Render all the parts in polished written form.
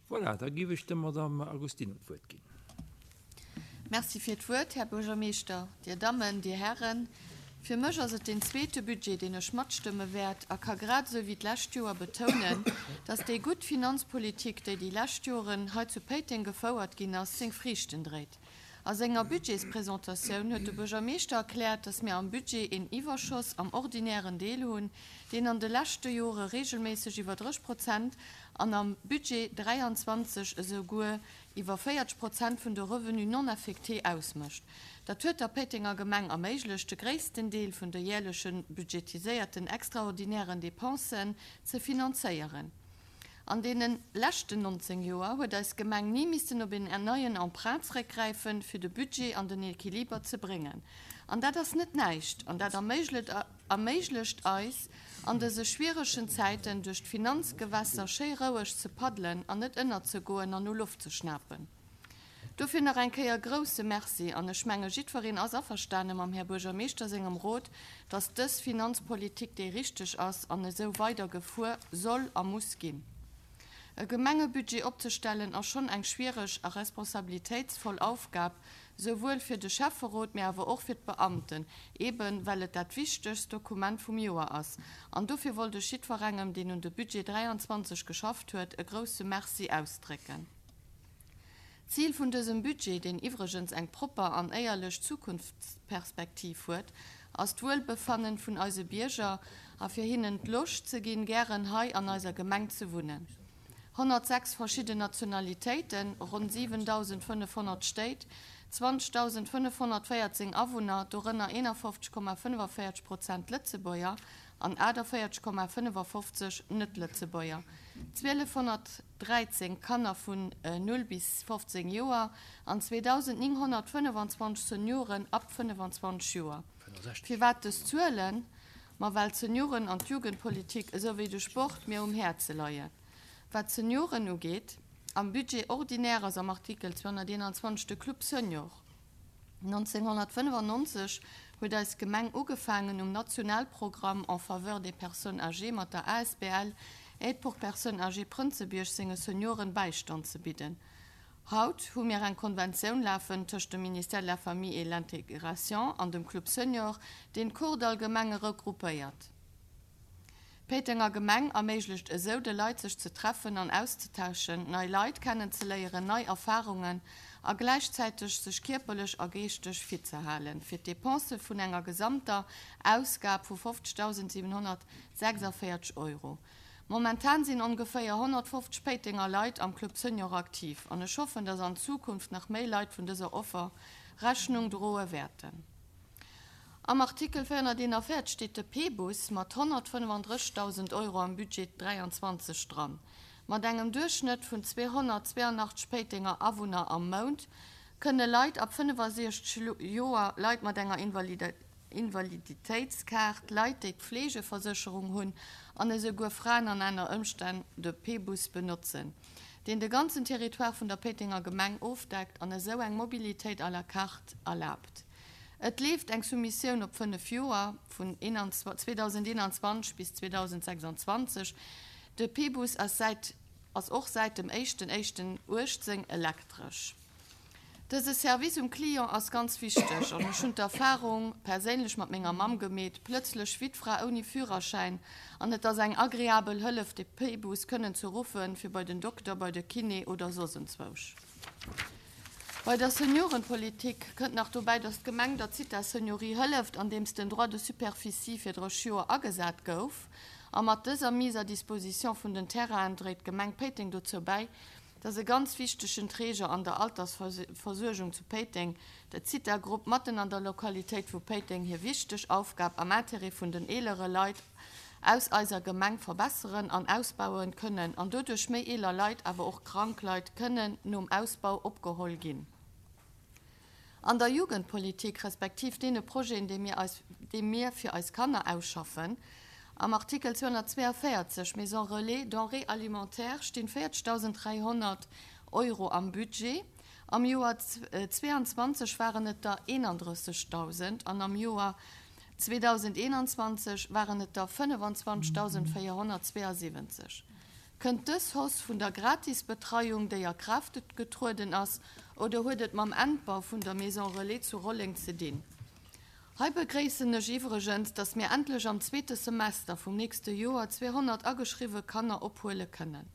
Voilà, da géif ech der Madame Agostino d'Wuert ginn. Merci fir d'Wuert, Här Buergermeeschter, Dir Dammen, Dir Hären. Fir mech ass et deen zweete Budget, deen ech matstëmme wäert a ka grad esou wéi d'lescht Joer betounen, dass déi gutt Finanzpolitik, déi déi lescht Joren hei zu Péiteng gefouert ginn ass, seng Friichten dréit. A senger Budgetspresentatioun huet de Buergermeeschter erkläert, dass mir am Budget een Iwwerschoss am ordinären Deel hunn, deen an de leschte Jore regelméisseg iwwer 30 Prozent an am Budget 23 esou guer iwwer 40 Prozent vun de Revenus non affectés ausmécht. Dat huet der Péitenger Gemeng erméiglecht, de gréissten Deel vun de jäerleche budgetiséierten extraordinären Dépensen ze finanzéieren. An deene leschten 19 Joer huet eis Gemeng ni missten op een neien Emprunt zeréckgräifen, fir de Budget an den Equiliber ze bréngen. An dat ass net näischt an dat erméiglecht eis, an dëse schwieregen Zäiten duerch d'Finanzgewässer schéi roueg ze paddelen an net ënnerzegoen an no Loft ze schnapen. Dofir nach eng Kéier grousse Merci, an ech menge jiddwereen ass averstane mam Här Buergermeeschter sengem Rot, dass dës Finanzpolitik déi richteg ass an esou weider gefuer soll a muss ginn. E Gemengebudget opzestellen ass schonn eng schwiereg a responsabilitéitsvoll Aufgab, souwuel fir de Schäfferot, mä awer och fir d'Beamten, eeben well et dat wichtegst Dokument vum Joer ass. An dofir wollt ech jiddwerengem, deen un de Budget 23 geschafft huet, e grousse Merci ausdrécken. D'Zil vun dësem Budget, deen iwwregens eng propper an éierlech Zukunftsperspektiv huet, ass d'Wuelbefannen vun eise Bierger a fir hinnen d'Loscht ze ginn, gären hei an eiser Gemeng ze wunnen. 106 verschidden Nationalitéiten, ronn 7.500 Stéit, 20.514 Awunner, dorënner 51,45 Prozent Lëtzebuerger an 48,55 Net-Lëtzebuerger, 1.213 Kanner vun 0 bis 15 Joer an 2.925 Senioren ab 25 Joer. Firwat dës Zuelen? Ma well d'Senioren an d'Jugendpolitik esou wéi de Sport mir um Häerze leien. Wat d'Senioren ugeet, am Budget ordinaire ass am Artikel 221 de Club Senior. 1995 huet eis Gemeng ugefaangen um Nationalprogramm en faveur des personnes âgées mat der asbl Aide pour personnes âgées Prënzebierg senge Senioren Bäistand ze bidden. Haut hu mir eng Konventioun lafen tëscht dem Ministère de la Famille et l'Intégration an dem Club Senior, deen d'Kordall Gemenge regroupéiert. D'Péitenger Gemeng erméiglecht esou de Leit sech ze treffen an auszetauschen, nei Leit kennenzeléieren, nei Erfarungen a gläichzäiteg sech kierperlech a geeschteg fit ze halen, fir d'Depensë vun enger gesamter Ausgab vu 50.746 Euro. Momentan sinn ongeféier 150 Péitenger Leit am Club Senior aktiv an ech hoffen, dass an Zukunft nach méi Leit vun dëser Offer Rechnung droe wäerten. Am Artikel 441 steet de P-Bus mat 135.000 Euro am Budget 23 dran. Mat engem Duerchschnëtt vun 282 Péitenger Awunner am Mount kënne Leit ab 65 Joer, Leit mat enger Invaliditéitskaart, Leit déi d'Fleegeversécherung hunn an esouguer Fraen an aner Ëmstänn de P-Bus benotzen, deen de ganzen Territoire vun der Péitenger Gemeng ofdeckt an esou eng Mobilitéit à la carte erlaabt. Et leeft eng Soumissioun op 5 Joer, vun 2021 bis 2026. De P-Bus ass säit ass och säit dem éischten éischten 18 elektresch. Dëse Service um Client ass ganz wichteg an ech hunn d'Erfarung perséinlech mat menger Mamm gemeet, plëtzlech Wittfra ouni Führerschäin, an et ass eng agreabel Hëllef de P-Bus kënnen ze ruffen fir bei den Dokter, bei de Kiné oder soss enzwousch. Bei der Seniorenpolitik kënnt nach dobäi, datt d'Gemeng der Zitha Seniorie hëlleft, andeems den Droit de superficie fir 30 Joer agesat gouf. A mat dëser Mise à disposition vun den Terrainen dréit d'Gemeng Péiteng dozou bäi, datt e ganz wichtegen Träger an der Altersversuergung zu Péiteng, de Zitha-Grupp, matten an der Lokalitéit vu Péiteng hir wichteg Aufgab am Intérêt vun den eelere Leit aus eiser Gemeng verbesseren an ausbauen kënnen an doduerch méi eeler Leit, awer och krank Leit kënnen nom Ausbau opgeholl ginn. An der Jugendpolitik, respektiv deene Projeten, déi mir eis, déi mir fir eis Kanner ausschaffen, am Artikel 242, Maison Relais, Denrées alimentaires, stinn 40.300 Euro am Budget. Am Joer 22 waren et der 31.000 an am Joer 2021 waren et der 25.472. Kënnt dës Hausse vun der Gratisbetreiung, déi a Kraaft getrueden ass, oder huet et mam Endbau vun der Maison Relais zu Rolleng ze dinn? Hei begréissen ech iwwregens, dass mir endlech am zweete Semester vum nächste Joer 200 ageschriwwe Kanner ophuele kënnen.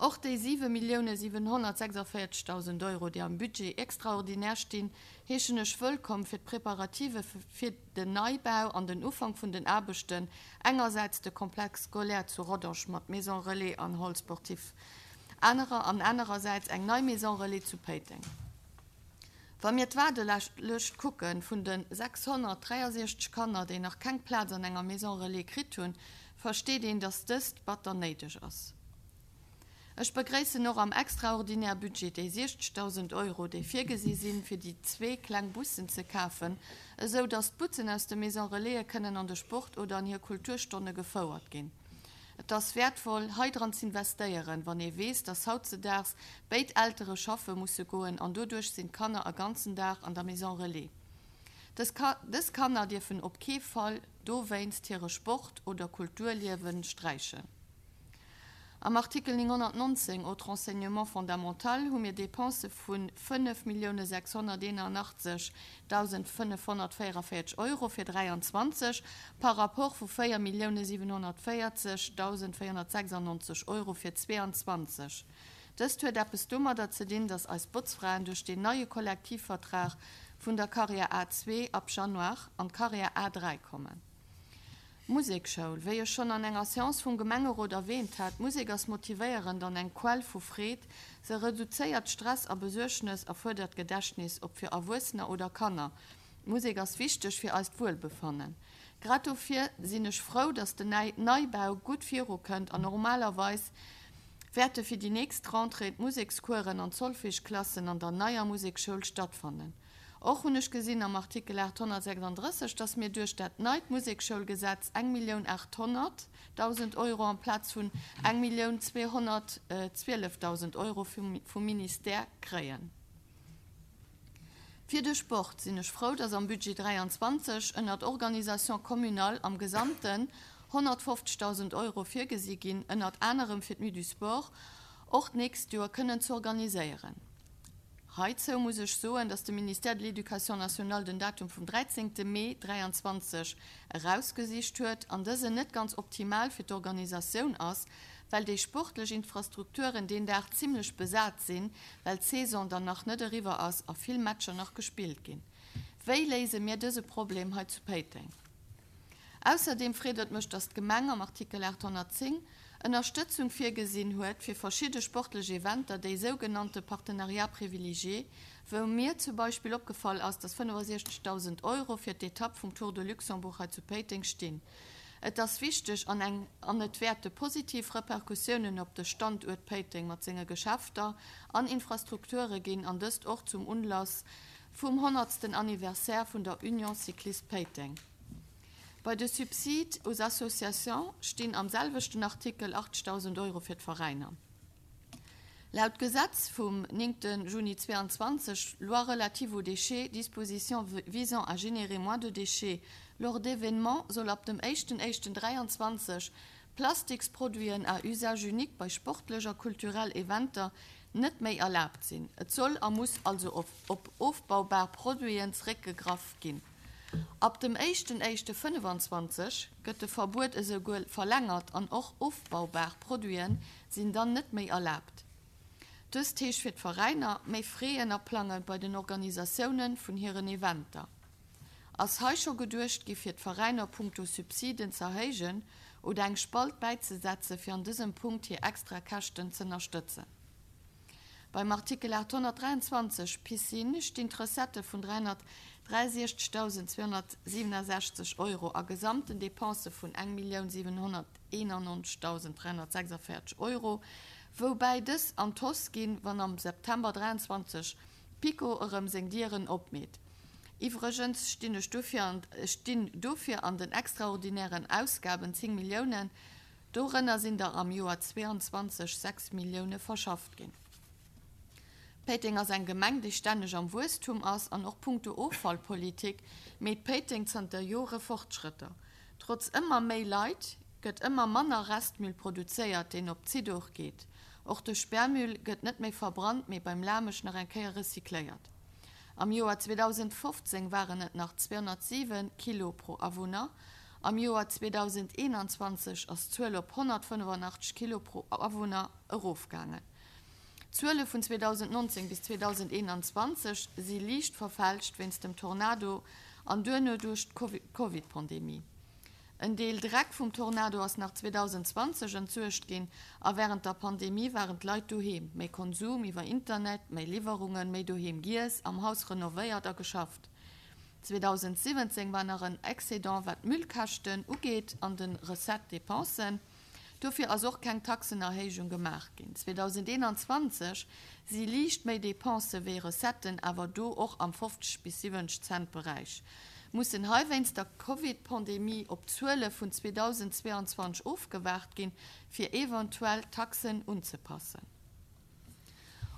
Och déi 7.746.000 Euro, déi am Budget extraordinaire stinn, heeschen ech wëllkomm fir d'Preparative fir den Neibau an den Ufank vun den Aarbechten, engersäits de Complexe scolaire zu Rodange mat Maison relais an Hall sportif anerer an anerersäits eng nei Maison relais zu Péiteng. Wa mir d'Waardelëscht kucke vun de 663 Kanner, déi nach keng Plaz an enger Maison relais kritt hunn, versteet een, dass dëst batter néideg ass. Ech begréissen och am extraordinaire Budget déi 60.000 Euro, déi virgesi sinn, fir déi zwee kleng Bussen ze kafen, esou dass d'Butzen aus de Maison Relaise kënnen an de Sport oder an hir Kulturstonne gefouert ginn. Et ass wäertvoll, hei dran z'investéieren, wann ee weess, dass hautzedaags béid Eltere schaffe musse goen an doduerch sinn d'Kanner e ganzen Dag an der Maison Relais. Dës Kanner dierfen op kee Fall dowéinst hire Sport oder Kulturliewe sträichen. Am Artikel 919, Autres enseignements fondamentaux, hu mir Dépensë vu 5.681.544 Euro fir 23 par rapport vu 4.740.496 Euro fir 22. Dëst huet eppes domadder ze dinn, dass eis Botzfraen duerch deen neie Kollektivvertrag vun der Carrière A2 ab Januar an d'Carrière A3 kommen. Musekschoul, Wéi ech schonn an enger Seance vum Gemengerot erwähnt hat, Musek ass motivéierend an eng Quell vu Freed. Se reduzéiert Stress a Besuergnes a fuerdert d'Gedächtnis, ob fir Erwuessener oder Kanner. D'Musek ass wichteg fir eist Wuelbefannen. Grad dofir sinn ech frou, dass den Neibau gutt viru kënnt an normalerweis wäerte fir déi nächst Rentrée d'Musekskueren an d'Solfège-Klassen an der neier Musekschoul stattfannen. Och hunn ech gesinn am Artikel 836, dass mir duerch dat neit Musekschoulgesetz 1.800.000 Euro amplaz vun 1.212.000 Euro vum Ministère kréien. Fir de Sport sinn ech frou, dass am Budget 23 ënnert Organisation communale am Gesamten 150.000 Euro virgesi ginn, ënnert anerem fir d'Nuit du Sport och d'nächst Joer kënnen z'organiséieren. Heizou muss ech soen, dass de Ministère de l'Éducation nationale den Datum vum 13. Mee 23 erausgesicht huet an dësen net ganz optimal fir d'Organisatioun ass, well déi sportlech Infrastrukturen deen Dag zimlech besat sinn, well d'Saison dann nach net eriwwer ass a vill Matcher nach gespillt ginn. Wéi léise mir dëse Problem hei zu Péiteng? Ausserdeem freet et mech, dass d'Gemeng am Artikel 810 Ënnerstëtzung virgesinn huet fir verschidde sportlech Eventer, déi sougenannte Partenariats privilégiés, wou mir zum Beispill opgefall ass, dass 65.000 Euro fir d'Etapp vum Tour de Luxembourg hei zu Péiteng stinn. Et ass wichteg an eng an et wäerte positiv Repercussiounen op de Standuert Péiteng mat senge Geschäfter an Infrastrukture ginn an dëst och zum Unlass vum honnertsten Anniversaire vun der Union Cycliste Péiteng. Bei de Subsides aux associations stinn am selwechten Artikel 80.000 Euro fir d'Veräiner. Laut Gesetz vum 9 Juni 22, Loi relative aux déchets, dispositions visant à générer moins de déchets lors d'événements, soll ab dem éischten éischten 23 Plastiksproduiten à usage unique bei sportlech a kulturell Eventer net méi erlaabt sinn. Et soll a muss also op ofbaubar Produiten zeréckgegraff ginn. Ab dem éischten éischte 25 gëtt de Verbuet esouguer verlängert an och ofbaubar Produiten sinn dann net méi erlaabt. Dëst heescht fir d'Veräiner, méi Fräen aplange bei den Organisatioune vun hiren Eventer. Ass hei scho geduecht gi fir d'Veräiner punkto Subsiden z'erhéijen oder eng Spalt bäizesetze fir an dësem Punkt hir extra Käschten z'ënnerstëtzen? Beim Artikel 823, Piscine, stinn d'Recettë vun 363.267 Euro a gesamten Depensë vun 1.791.346 Euro, woubäi dës an d'Hausse ginn, wann am September 23 PiKo erëm seng Dieren opmeet. Iwwregens stinn ech dofir an stinn dofir an den extraordinären Ausgaben 10 Milliounen, Dorënner sinn der am Joer 22 6 Millioune verschafft ginn. Péiteng ass eng Gemeng, déi stänneg am Wuesstum ass an och punkto Offallpolitik meet Péiteng zanter Jore Fortschrëtter. Trotz ëmmer méi Leit. gëtt ëmmer manner Restmüll produzéiert, deen op d'Zidooch geet. Och de Sperrmüll gëtt net méi verbrannt, mee beim Lamesch nach eng Kéier recycléiert. Am Joer 2015 waren et nach 207 Kilo pro Awunner, am Joer 2021 ass d'Zuel op 185 Kilo pro Awunner erofgaangen. D'Zuele vun 2019 bis 2021 si liicht verfälscht wéinst dem Tornado an duerno duerch d'Covid-Pandemie. En Deel Dreck vum Tornado ass nach 2020 entsuergt ginn a wärend der Pandemie waren d'Leit doheem. Méi Konsum iwwer Internet, méi Liwwerungen, méi doheem giess, am Haus renovéiert a geschafft. 2017 war nach en Excédent wat d'Müllkäschten ugeet an de Recette-Dépensen. Dofir ass och keng Taxenerhéijung gemaach ginn. 2021 si liicht méi Depensë wéi Recetten, awer do och am 50 bis 70 Cent Beräich. Mussen hei wéinst der Covid-Pandemie op d'Zuele vun 2022 ofgewaart ginn, fir eventuell d'Taxen unzepassen.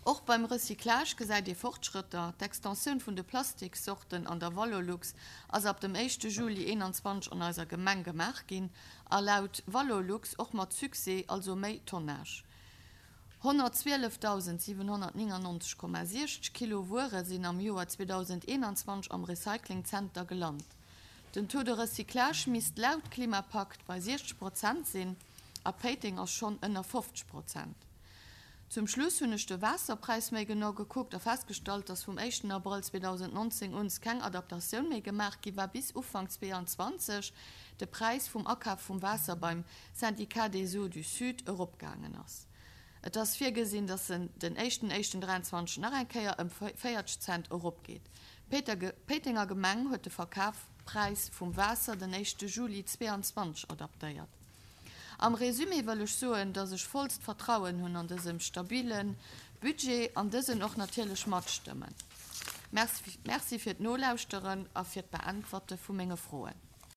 Och beim Recyclage gesäit ee Fortschrëtter. D'Extensioun vun de Plastikssorten an der Valorlux ass ab dem éischte Juli 21 an eiser Gemeng gemaach ginn a laut Valorlux och mat Succès, also méi Tonnage. 112.799,60 Kilo Wuere sinn am Joer 2021 am Recyclingzenter gelant. Den Taux de recyclage misst laut Klimapakt bei 60 Prozent sinn a Péiteng ass schonn ënner 50 Prozent. Zum Schluss hunn ech de Waasserpräis méi genau gekuckt a festgestallt, dass vum éischten Abrëll 2019 uns keng Adaptatioun méi gemaach gi war, bis Ufank 22 de Präis vum Akaf vum Waasser beim Syndicat des Eaux du Sud eropgaangen ass. Et ass virgesinn, dass en den éischten éischten 23 nach eng Kéier ëm 40 Cent eropgeet. D'Péitenger Gemeng huet de Verkafpräis vum Waasser den éischte Juli 22 adaptéiert. Am Résumé wëll ech soen, dass ech vollst Vertrauen hunn an dësem stabile Budget an dësen och natierlech matstëmmen. Merci fir d'Nolauschteren a fir d'Beäntwerte vu menge Froen.